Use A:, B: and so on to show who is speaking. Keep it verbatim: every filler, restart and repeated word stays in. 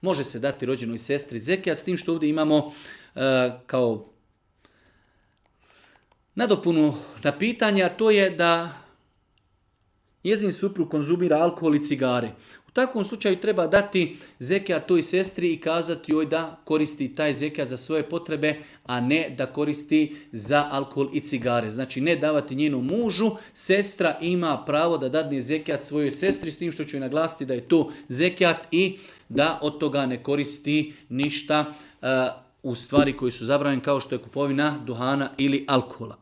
A: Može se dati rođenoj sestri zekijat, s tim što ovdje imamo uh, kao nadopunu na pitanje, a to je da njezin suprug konzumira alkohol i cigare. U takvom slučaju treba dati zekijat toj sestri i kazati joj da koristi taj zekijat za svoje potrebe, a ne da koristi za alkohol i cigare. Znači ne davati njenom mužu, sestra ima pravo da dadne zekijat svojoj sestri, s tim što ću joj naglasiti da je to zekijat i da od toga ne koristi ništa uh, u stvari koji su zabranjene, kao što je kupovina duhana ili alkohola.